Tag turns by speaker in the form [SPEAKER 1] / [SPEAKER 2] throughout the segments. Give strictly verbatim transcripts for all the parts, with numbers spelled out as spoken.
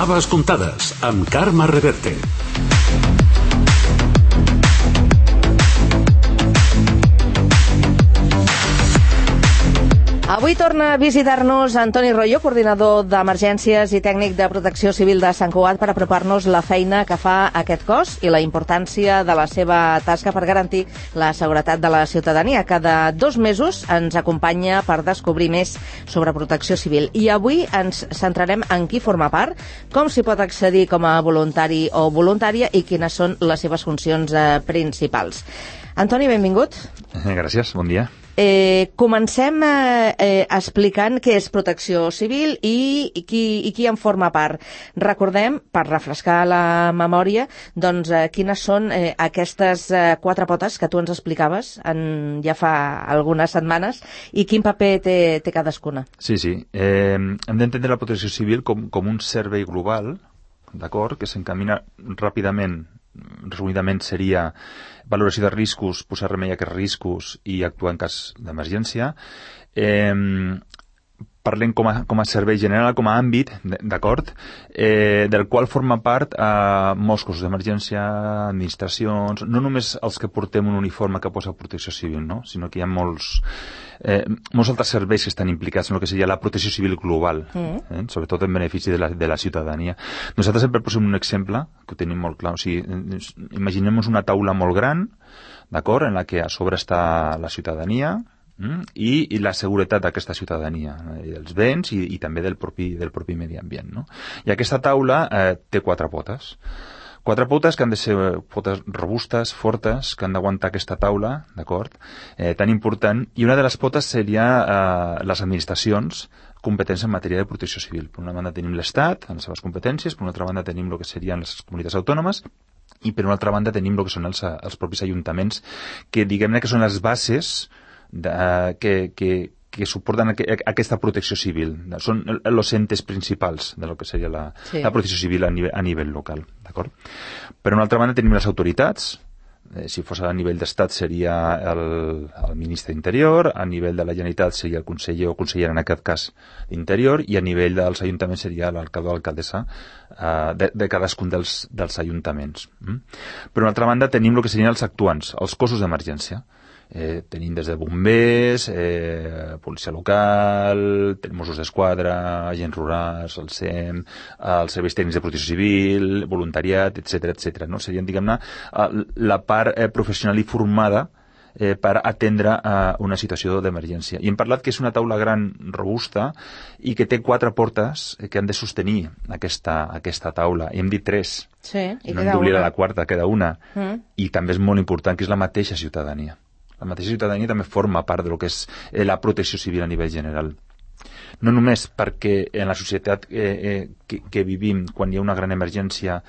[SPEAKER 1] Faves comptades, amb Carme Reverte.
[SPEAKER 2] Avui torna a visitar-nos Antoni Royo, coordinador d'Emergències i tècnic de Protecció Civil de Sant Cugat, per apropar-nos la feina que fa aquest cos i la importància de la seva tasca per garantir la seguretat de la ciutadania. Cada dos mesos ens acompanya per descobrir més sobre protecció civil. I avui ens centrarem en qui forma part, com s'hi pot accedir com a voluntari o voluntària i quines són les seves funcions eh, principals. Antoni, benvingut.
[SPEAKER 3] Gràcies, bon dia.
[SPEAKER 2] Eh, comencem eh, eh, explicant què és protecció civil i, i, qui, i qui en forma part. Recordem, per refrescar la memòria, doncs, eh, quines són eh, aquestes eh, quatre potes que tu ens explicaves en, ja fa algunes setmanes i quin paper té, té cadascuna.
[SPEAKER 3] Sí, sí. Eh, hem d'entendre la protecció civil com, com un servei global, d'acord, que s'encamina ràpidament, resumidament seria valoració de riscos, posar remei a aquests riscos i actuar en cas d'emergència. Eh, parlem com a, com a servei general, com a àmbit, d'acord, eh, del qual forma part eh, molts cossos d'emergència, administracions, no només els que portem un uniforme que posa protecció civil, no? Sinó que hi ha molts, eh, molts altres serveis que estan implicats en el que seria la protecció civil global, mm. eh, sobretot en benefici de la, de la ciutadania. Nosaltres sempre posem un exemple que ho tenim molt clar. O sigui, imaginem-nos una taula molt gran, d'acord, en la que a sobre està la ciutadania, I, i la seguretat d'aquesta ciutadania, eh, dels béns i, i també del propi, del propi medi ambient, no? I aquesta taula eh, té quatre potes. Quatre potes que han de ser potes robustes, fortes, que han d'aguantar aquesta taula, d'acord? Eh, tan important. I una de les potes seria eh, les administracions competents en matèria de protecció civil. Per una banda tenim l'Estat, en les seves competències, per una altra banda tenim el que serien les comunitats autònomes, i per una altra banda tenim el que són els, els propis ajuntaments, que diguem-ne que són les bases De, que, que, que suporten aqu aquesta protecció civil. Són els entes principals de lo que seria la, sí. la protecció civil a nivell, a nivell local. D'acord? Per una altra banda tenim les autoritats. Eh, si fos a nivell d'estat seria el, el ministre d'Interior, a nivell de la Generalitat seria el conseller o consellera, en aquest cas d'Interior, i a nivell dels ajuntaments seria l'alcalde o l'alcaldessa eh, de, de cadascun dels, dels ajuntaments. Mm? Per una altra banda tenim el que serien els actuants, els cossos d'emergència. Eh, tenim des de bombers, eh, policia local, tenim Mossos d'Esquadra, agents rurals, el S E M, els serveis tècnics de protecció civil, voluntariat, etcètera, etcètera. No? Serien, diguem-ne, la part eh, professional i formada eh, per atendre a una situació d'emergència. I hem parlat que és una taula gran, robusta, i que té quatre portes que han de sostenir aquesta, aquesta taula. I hem dit tres.
[SPEAKER 2] Sí, i
[SPEAKER 3] no hem d'oblidar la quarta, queda una. Mm. I també és molt important, que és la mateixa ciutadania. La mateixa ciutadania també forma part del que és eh, la protecció civil a nivell general. No només perquè en la societat eh, eh, que, que vivim, quan hi ha una gran emergència,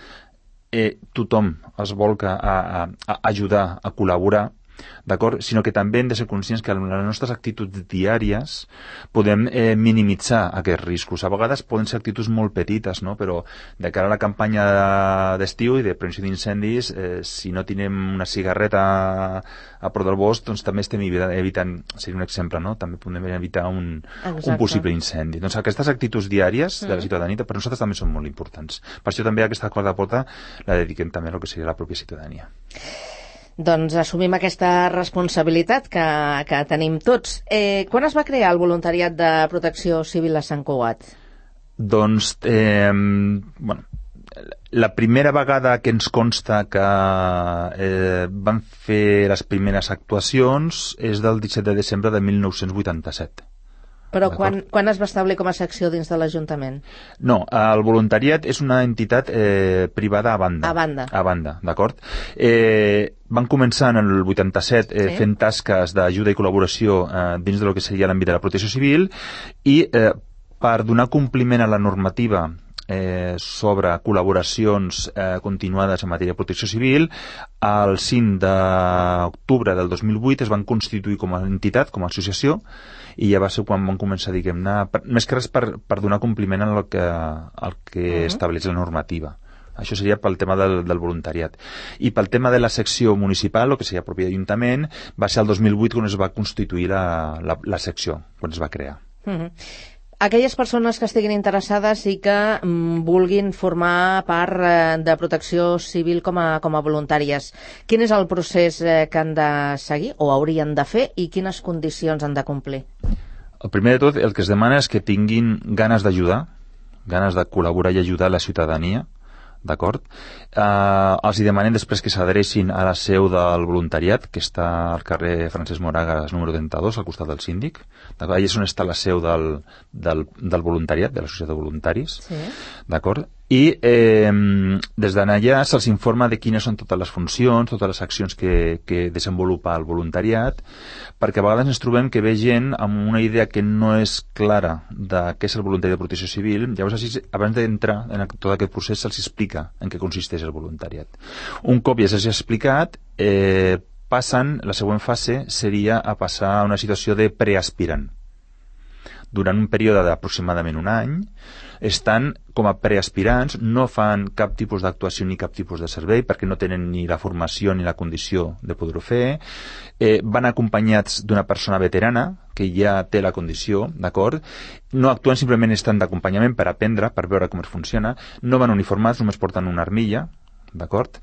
[SPEAKER 3] eh, tothom es volca a, a, a ajudar, a col·laborar, d'acord? Sinó que també hem de ser conscients que en les nostres actituds diàries podem eh, minimitzar aquests riscos. A vegades poden ser actituds molt petites, no? Però de cara a la campanya d'estiu i de prevenció d'incendis, eh, si no tenim una cigarreta a, a prop del bosc, doncs també estem evitant, seria un exemple, no? També podem evitar un, un possible incendi. Doncs aquestes actituds diàries mm. de la ciutadania per nosaltres també són molt importants. Per això també aquesta quarta porta la dediquem també a el que seria la pròpia ciutadania.
[SPEAKER 2] Doncs assumim aquesta responsabilitat que, que tenim tots. Eh, quan es va crear el voluntariat de protecció civil a Sant Cugat?
[SPEAKER 3] Doncs, eh, bueno, la primera vegada que ens consta que eh, van fer les primeres actuacions és del disset de desembre de mil nou-cents vuitanta-set.
[SPEAKER 2] Però quan, quan es va establir com a secció dins de l'Ajuntament?
[SPEAKER 3] No, el voluntariat és una entitat eh, privada a banda.
[SPEAKER 2] A banda.
[SPEAKER 3] A banda, d'acord? Eh, van començar en el vuitanta-set eh, sí. fent tasques d'ajuda i col·laboració eh, dins de lo que seria l'àmbit de la protecció civil i eh, per donar compliment a la normativa eh, sobre col·laboracions eh, continuades en matèria de protecció civil, el cinc d'octubre del dos mil vuit es van constituir com a entitat, com a associació, i ja va ser quan van començar, diguem-ne, més que res per, per donar compliment al que, al que uh-huh. estableix la normativa. Això seria pel tema del, del voluntariat. I pel tema de la secció municipal, el que seria propi d'Ajuntament, va ser el dos mil vuit quan es va constituir la, la, la secció, quan es va crear.
[SPEAKER 2] Uh-huh. Aquelles persones que estiguin interessades i que mm, vulguin formar part eh, de Protecció Civil com a, com a voluntàries, quin és el procés eh, que han de seguir o haurien de fer i quines condicions han de complir?
[SPEAKER 3] El primer de tot, el que es demana és que tinguin ganes d'ajudar, ganes de col·laborar i ajudar la ciutadania, d'acord? Eh, els hi demanem després que s'adrecin a la seu del voluntariat, que està al carrer Francesc Moragas número trenta-dos, al costat del síndic. Allà és on està la seu del, del, del voluntariat, de la societat de voluntaris. Sí. D'acord? I eh, des d'allà se'ls informa de quines són totes les funcions, totes les accions que, que desenvolupa el voluntariat, perquè a vegades ens trobem que ve gent amb una idea que no és clara de què és el voluntari de protecció civil. Llavors, així, abans d'entrar en tot aquest procés, se'ls explica en què consisteix el voluntariat. Un cop ja s'hagi explicat, eh, passen, la següent fase seria a passar a una situació de preaspirant. Durant un període d'aproximadament un any, estan com a preaspirants, no fan cap tipus d'actuació ni cap tipus de servei perquè no tenen ni la formació ni la condició de poder-ho fer, eh, van acompanyats d'una persona veterana que ja té la condició, d'acord? No actuen, simplement estan d'acompanyament per aprendre, per veure com es funciona, no van uniformats, només porten una armilla, d'acord?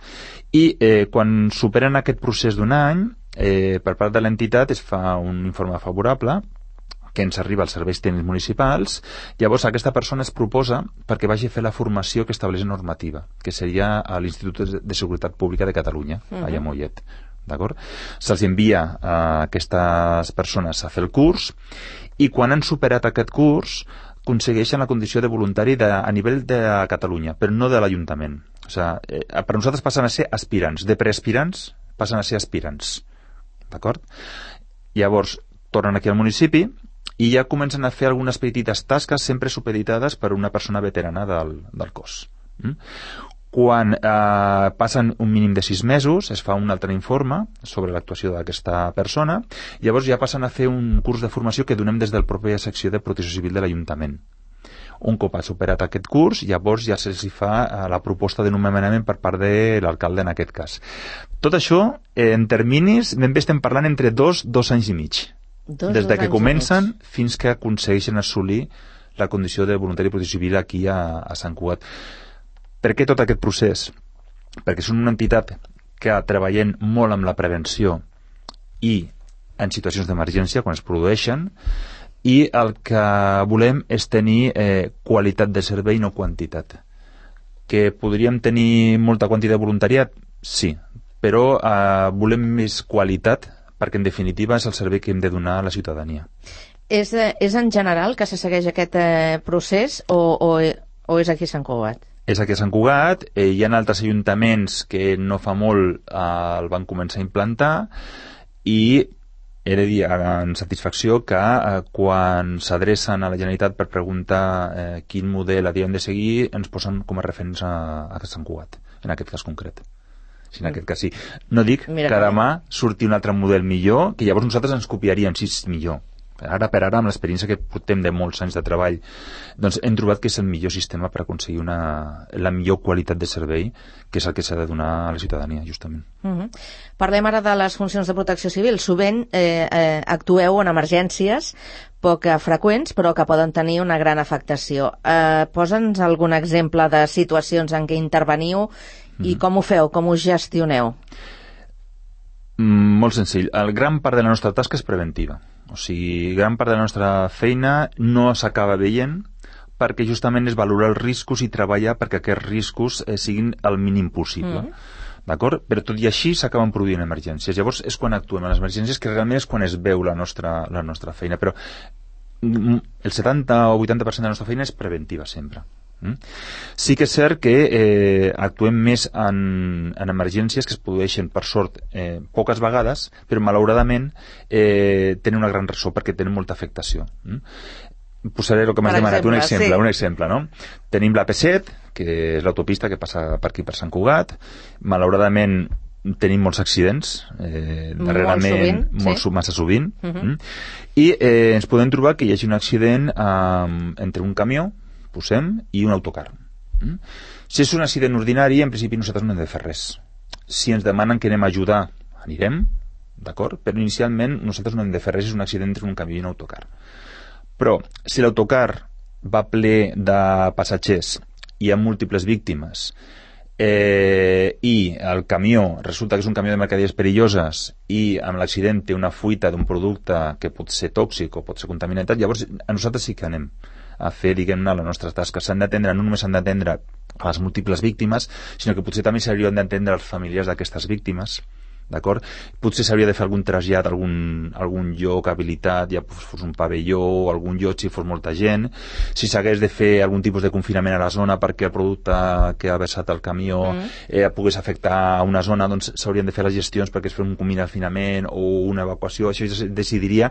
[SPEAKER 3] I eh, quan superen aquest procés d'un any, eh, per part de l'entitat es fa un informe favorable que ens arriba als serveis tècnics municipals. Llavors aquesta persona es proposa perquè vagi a fer la formació que estableix normativa, que seria a l'Institut de Seguretat Pública de Catalunya, uh-huh. allà a Mollet. D'acord? Se'ls envia a aquestes persones a fer el curs i quan han superat aquest curs aconsegueixen la condició de voluntari de, a nivell de Catalunya, però no de l'Ajuntament. O sigui, eh, per nosaltres passen a ser aspirants. De preaspirants passen a ser aspirants. D'acord? Llavors, tornen aquí al municipi i ja comencen a fer algunes petites tasques sempre supeditades per una persona veterana del, del cos. Mm? Quan eh, passen un mínim de sis mesos es fa un altre informe sobre l'actuació d'aquesta persona, llavors ja passen a fer un curs de formació que donem des de la pròpia secció de Protecció Civil de l'Ajuntament. Un cop ha superat aquest curs, llavors ja se'ls fa eh, la proposta de nomenament per part de l'alcalde en aquest cas. Tot això, eh, en terminis, ben bé estem parlant entre dos, dos anys i mig. Dos, des de que comencen fins que aconsegueixen assolir la condició de voluntari de protecció civil aquí a, a Sant Cugat. Per què tot aquest procés? Perquè són una entitat que treballem molt amb la prevenció i en situacions d'emergència quan es produeixen, i el que volem és tenir eh, qualitat de servei, no quantitat. Que podríem tenir molta quantitat de voluntariat? Sí, però eh, volem més qualitat perquè en definitiva és el servei que hem de donar a la ciutadania.
[SPEAKER 2] És, és en general que se segueix aquest eh, procés o, o, o és aquí a Sant Cugat?
[SPEAKER 3] És aquí a Sant Cugat, eh, hi ha altres ajuntaments que no fa molt eh, el van començar a implantar i he de dir en satisfacció que eh, quan s'adrecen a la Generalitat per preguntar eh, quin model havien de seguir ens posen com a referents a, a Sant Cugat, en aquest cas concret. Si en aquest cas sí. No dic Mira que demà surti un altre model millor, que llavors nosaltres ens copiaríem, si és millor. Ara per ara, amb l'experiència que portem de molts anys de treball, doncs hem trobat que és el millor sistema per aconseguir una, la millor qualitat de servei, que és el que s'ha de donar a la ciutadania, justament.
[SPEAKER 2] Uh-huh. Parlem ara de les funcions de protecció civil. Sovint eh, eh, actueu en emergències poc freqüents, però que poden tenir una gran afectació. Eh, Posa'ns algun exemple de situacions en què interveniu i com ho feu, com ho gestioneu?
[SPEAKER 3] Mm, molt senzill. El gran part de la nostra tasca és preventiva. O sigui, gran part de la nostra feina no s'acaba veient perquè justament és valorar els riscos i treballar perquè aquests riscos eh, siguin el mínim possible. Mm. D'acord? Però tot i així s'acaben produint emergències. Llavors és quan actuem a les emergències que realment és quan es veu la nostra, la nostra feina. Però el setanta o vuitanta per cent de la nostra feina és preventiva sempre. Mm? Sí que és cert que eh, actuem més en, en emergències que es produeixen, per sort, eh, poques vegades, però malauradament eh, tenen una gran ressò perquè tenen molta afectació. Mm? Posaré el que m'has demanat, un exemple, sí. un exemple, no? Tenim l'A P set, que és l'autopista que passa per aquí per Sant Cugat. Malauradament tenim molts accidents, eh, darrerament, molt sovint, molt, sí. massa sovint, uh-huh. mm? i eh, ens podem trobar que hi hagi un accident eh, entre un camió, posem, i un autocar. Mm? Si és un accident ordinari, en principi nosaltres no hem de fer res. Si ens demanen que anem a ajudar, anirem, d'acord? Però inicialment nosaltres no hem de fer res, és un accident entre un camió i un autocar. Però si l'autocar va ple de passatgers i hi ha múltiples víctimes, eh, i el camió resulta que és un camió de mercaderies perilloses i amb l'accident té una fuita d'un producte que pot ser tòxic o pot ser contaminat, llavors a nosaltres sí que anem a fer, diguem-ne, la nostra tasca. S'han d'atendre, no només s'han d'atendre a les múltiples víctimes, sinó que potser també s'haurien d'atendre els familiars d'aquestes víctimes, d'acord? Potser s'hauria de fer algun trasllat a algun, algun lloc habilitat, ja fos un pavelló o algun lloc si fos molta gent. Si s'hagués de fer algun tipus de confinament a la zona perquè el producte que ha versat el camió mm. eh, pogués afectar a una zona, doncs s'haurien de fer les gestions perquè es fes un confinament o una evacuació. Això es decidiria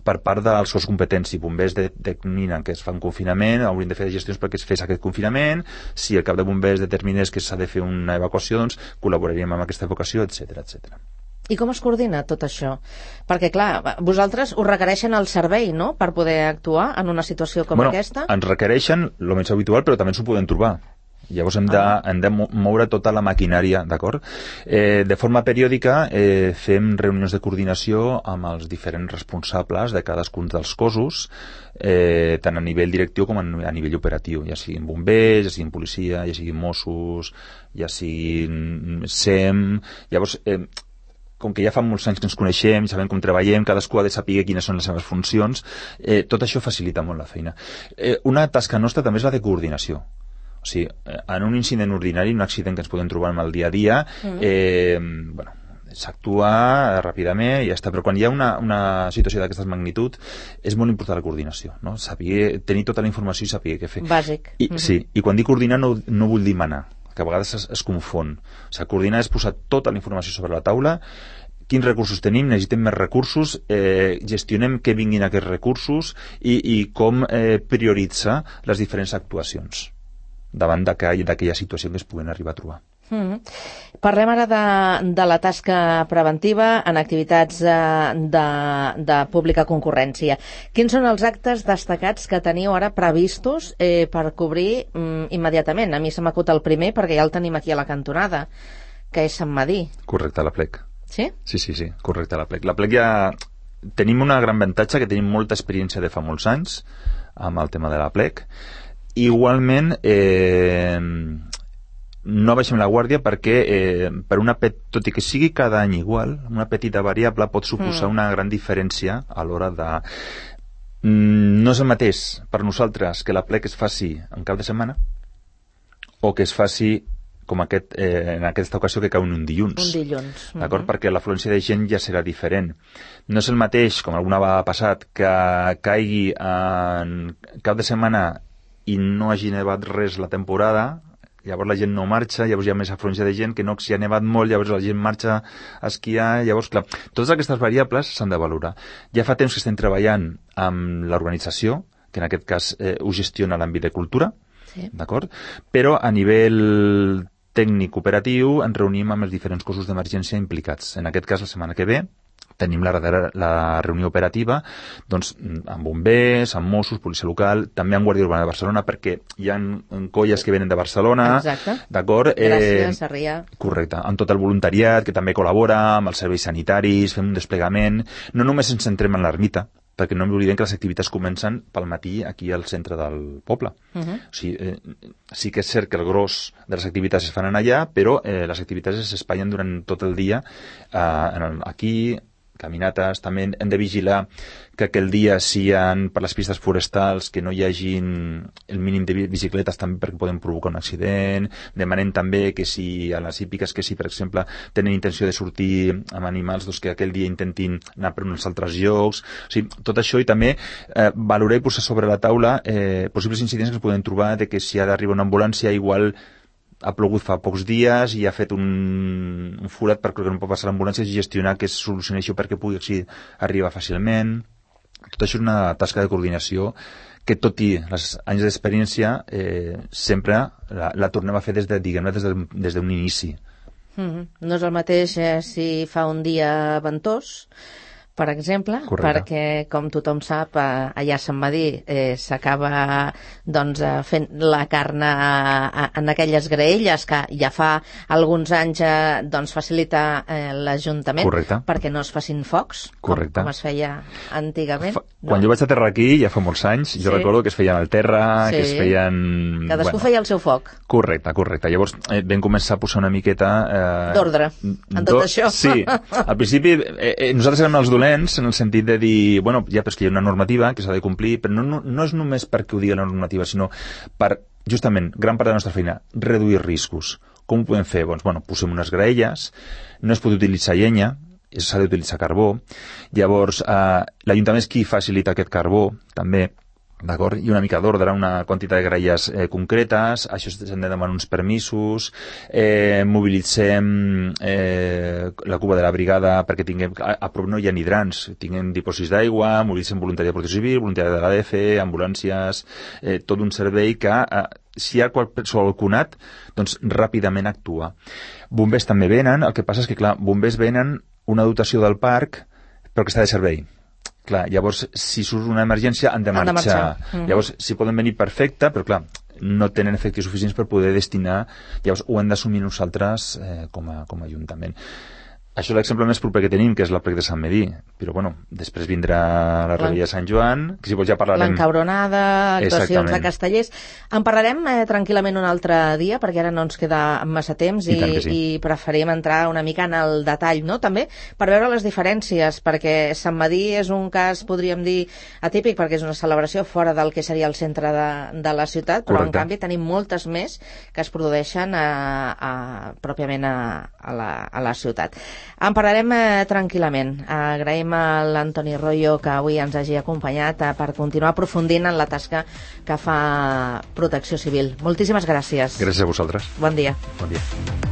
[SPEAKER 3] per part dels cossos competents. Si bombers determinen que es fa un confinament, haurien de fer gestions perquè es fes aquest confinament. Si el cap de bombers determinés que s'ha de fer una evacuació, doncs col·laboraríem amb aquesta evacuació, etcètera, etcètera.
[SPEAKER 2] I com es coordina tot això? Perquè, clar, vosaltres us requereixen el servei, no?, per poder actuar en una situació com
[SPEAKER 3] bueno,
[SPEAKER 2] aquesta?
[SPEAKER 3] Ens requereixen el més habitual, però també ens ho podem trobar. Llavors hem de, ah. hem de moure tota la maquinària, d'acord? Eh, de forma periòdica eh, fem reunions de coordinació amb els diferents responsables de cadascun dels cossos, eh, tant a nivell directiu com a, a nivell operatiu, ja siguin bombers, ja siguin policia, ja siguin Mossos, ja siguin S E M. Llavors, eh, com que ja fa molts anys que ens coneixem, sabem com treballem, cadascú ha de saber quines són les seves funcions, eh, tot això facilita molt la feina. Eh, una tasca nostra també és la de coordinació. O sigui, en un incident ordinari, un accident que ens podem trobar en el dia a dia, eh, bueno, s'actua ràpidament i ja està, però quan hi ha una, una situació d'aquesta magnitud és molt important la coordinació, no? Saber, tenir tota la informació i saber què fer.
[SPEAKER 2] Bàsic.
[SPEAKER 3] I, mm-hmm. Sí, i quan dic coordinar no, no vull dir manar, que a vegades es, es confon. O sigui, coordinar és posar tota la informació sobre la taula, quins recursos tenim, necessitem més recursos, eh, gestionem que vinguin aquests recursos i, i com eh, prioritzar les diferents actuacions davant d'aquella situació que es puguen arribar a trobar.
[SPEAKER 2] Mm-hmm. Parlem ara de, de la tasca preventiva en activitats de, de, de pública concurrència. Quins són els actes destacats que teniu ara previstos eh, per cobrir mm, immediatament? A mi se m'acut el primer perquè ja el tenim aquí a la cantonada, que és Sant Madí.
[SPEAKER 3] Correcte, la plec.
[SPEAKER 2] Sí?
[SPEAKER 3] Sí, sí, sí, correcte, la plec. La plec ja... Tenim una gran avantatge, que tenim molta experiència de fa molts anys amb el tema de la plec. Igualment, eh, no baixem la guàrdia perquè eh, per una pet, tot i que sigui cada any igual, una petita variable pot suposar mm. una gran diferència a l'hora de... Mm, no és el mateix per nosaltres que la plec es faci en cap de setmana o que es faci com aquest, eh, en aquesta ocasió que cau en un dilluns.
[SPEAKER 2] Un dilluns.
[SPEAKER 3] D'acord?
[SPEAKER 2] Mm-hmm.
[SPEAKER 3] Perquè l'afluència de gent ja serà diferent. No és el mateix, com alguna vegada ha passat, que caigui en cap de setmana i no hagi nevat res la temporada, llavors la gent no marxa, llavors hi ha més afluència de gent, que no, si ha nevat molt, llavors la gent marxa a esquiar, llavors, clar, totes aquestes variables s'han de valorar. Ja fa temps que estem treballant amb l'organització, que en aquest cas eh, ho gestiona l'àmbit de cultura, sí. D'acord? Però a nivell tècnic operatiu ens reunim amb els diferents cossos d'emergència implicats. En aquest cas, la setmana que ve, tenim la, la reunió operativa doncs, amb bombers, amb Mossos, policia local, també amb Guàrdia Urbana de Barcelona, perquè hi ha colles que venen de Barcelona.
[SPEAKER 2] Exacte.
[SPEAKER 3] D'acord?
[SPEAKER 2] Gràcies, eh, Sarrià.
[SPEAKER 3] Correcte. Amb tot el voluntariat, que també col·labora, amb els serveis sanitaris, fem un desplegament. No només ens centrem en l'ermita, perquè no oblidem que les activitats comencen pel matí aquí al centre del poble. Uh-huh. O sigui, eh, sí que és cert que el gros de les activitats es fan allà, però eh, les activitats s'espaien durant tot el dia eh, en el, aquí, caminates, també hem de vigilar que aquell dia si hi ha per les pistes forestals que no hi hagin el mínim de bicicletes també perquè poden provocar un accident. Demanem també que si a les hípiques que si per exemple tenen intenció de sortir amb animals, doncs que aquell dia intentin anar per uns altres llocs. O sigui, tot això, i també eh, valorar i posar sobre la taula eh, possibles incidents que es poden trobar, de que si ha d'arribar una ambulància igual ha plogut fa pocs dies i ha fet un, un forat perquè no pot passar l'ambulància, i gestionar que es solucioni això perquè pugui així arribar fàcilment. Tot això és una tasca de coordinació que, tot i els anys d'experiència, eh, sempre la, la tornem a fer des de, diguem-ne, des d'un des d'un inici.
[SPEAKER 2] Mm-hmm. No és el mateix eh, si fa un dia ventós, per exemple,
[SPEAKER 3] Correcte.
[SPEAKER 2] perquè, com tothom sap, eh, allà a Sant Medir eh, s'acaba doncs, eh, fent la carn a, a, en aquelles graelles que ja fa alguns anys eh, doncs, facilita eh, l'Ajuntament
[SPEAKER 3] Correcte.
[SPEAKER 2] perquè no es facin focs, com,
[SPEAKER 3] Correcte.
[SPEAKER 2] com es feia antigament.
[SPEAKER 3] Fa, quan
[SPEAKER 2] no?
[SPEAKER 3] jo vaig aterrar aquí, ja fa molts anys, jo
[SPEAKER 2] Sí.
[SPEAKER 3] recordo que es feien al terra,
[SPEAKER 2] Sí.
[SPEAKER 3] que es feien...
[SPEAKER 2] Cadascú feia el seu foc.
[SPEAKER 3] Correcte, correcte. Llavors eh, vam començar a posar una miqueta... Eh,
[SPEAKER 2] D'ordre, en tot això.
[SPEAKER 3] Sí. Al principi eh, eh, nosaltres érem els dolents en el sentit de dir, bueno, ja, però és que hi ha una normativa que s'ha de complir, però no, no, no és només perquè ho digui la normativa, sinó per, justament, gran part de la nostra feina, reduir riscos. Com ho podem fer? Doncs, bueno, posem unes graelles, no es pot utilitzar llenya, s'ha d'utilitzar carbó. Llavors, eh, l'Ajuntament és qui facilita aquest carbó, també, d'acord? I una mica d'ordre, una quantitat de graelles eh, concretes, això s'han de demanar uns permisos, eh, mobilitzem eh, la Cuba de la Brigada perquè tinguem, a, a prop no hi ha hidrants, tinguem dipòsits d'aigua, mobilitzem voluntari de protecció civil, voluntari de l'A D F, ambulàncies, eh, tot un servei que, eh, si hi ha qualsevol conat, doncs ràpidament actua. Bombers també venen, el que passa és que, clar, bombers venen una dotació del parc, però que està de servei. Clar, llavors, si surt una emergència, han de
[SPEAKER 2] Han de
[SPEAKER 3] marxar.
[SPEAKER 2] marxar. Mm-hmm.
[SPEAKER 3] Llavors, si poden venir perfecte, però clar, no tenen efectius suficients per poder destinar, llavors ho hem d'assumir nosaltres eh, com, a, com a Ajuntament. Això és l'exemple més proper que tenim, que és la plec de Sant Medir. Però, bueno, després vindrà la Rebella de Sant Joan, que si vols ja parlarem...
[SPEAKER 2] L'encabronada, actuacions
[SPEAKER 3] Exactament.
[SPEAKER 2] de Castellers. En parlarem eh, tranquil·lament un altre dia, perquè ara no ens queda massa temps i,
[SPEAKER 3] I tant que sí.
[SPEAKER 2] i preferim entrar una mica en el detall, no? També per veure les diferències, perquè Sant Medir és un cas, podríem dir, atípic, perquè és una celebració fora del que seria el centre de, de la ciutat, però
[SPEAKER 3] Correcte.
[SPEAKER 2] en canvi tenim moltes més que es produeixen a, a, pròpiament a, a, la, a la ciutat. En parlarem eh, tranquil·lament. Agraïm a l'Antoni Royo que avui ens hagi acompanyat eh, per continuar aprofundint en la tasca que fa Protecció Civil. Moltíssimes gràcies.
[SPEAKER 3] Gràcies a vosaltres.
[SPEAKER 2] Bon dia.
[SPEAKER 3] Bon dia.